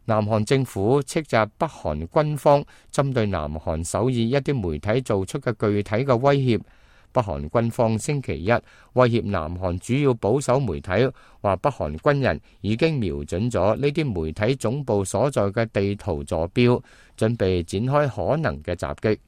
南韓政府斥責北韓軍方針對南韓首爾一啲媒體做出嘅具體嘅威脅。北韓軍方星期一威脅南韓主要保守媒體，話北韓軍人已經瞄準咗呢啲媒體總部所在嘅地圖坐標，準備展開可能嘅襲擊。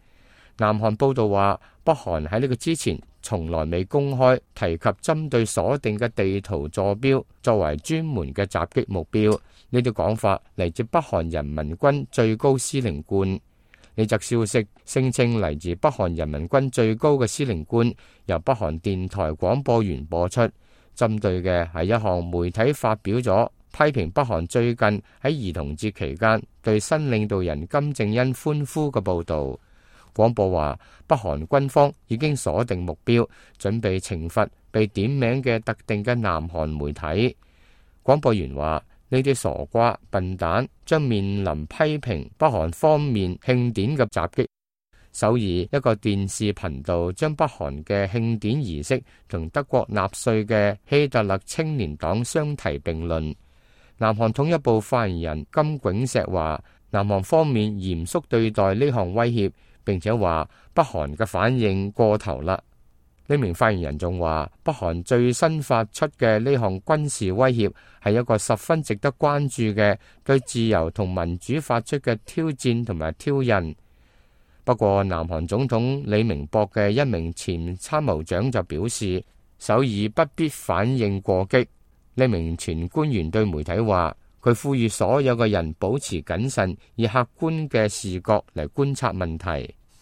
南韓報道話，北韓喺呢個之前從來未公開提及針對鎖定嘅地圖坐標作為專門嘅襲擊目標。呢啲講法嚟自北韓人民軍最高司令官。呢則消息聲稱嚟自北韓人民軍最高嘅司令官，由北韓電台廣播員播出，針對嘅係一項媒體發表咗批評北韓最近喺兒童節期間對新領導人金正恩歡呼嘅報導。廣播話，北韓軍方已經鎖定目標，準備懲罰被點名嘅特定嘅南韓媒體。廣播員話，呢啲傻瓜笨蛋將面臨批評北韓方面慶典嘅襲擊。首爾一個電視頻道將北韓嘅慶典儀式同德國納粹嘅希特勒青年黨相提並論。南韓統一部發言人金炳石話，南韓方面嚴肅對待呢項威脅，並且話北韓嘅反應過頭啦。呢名發言人仲話，北韓最新發出嘅呢項軍事威脅係一個十分值得關注嘅對自由同民主發出嘅挑戰同埋挑釁。不過，南韓總統李明博嘅一名前參謀長就表示，首爾不必反應過激。呢名前官員對媒體話，佢呼籲所有嘅人保持謹慎，以客觀嘅視角嚟觀察問題。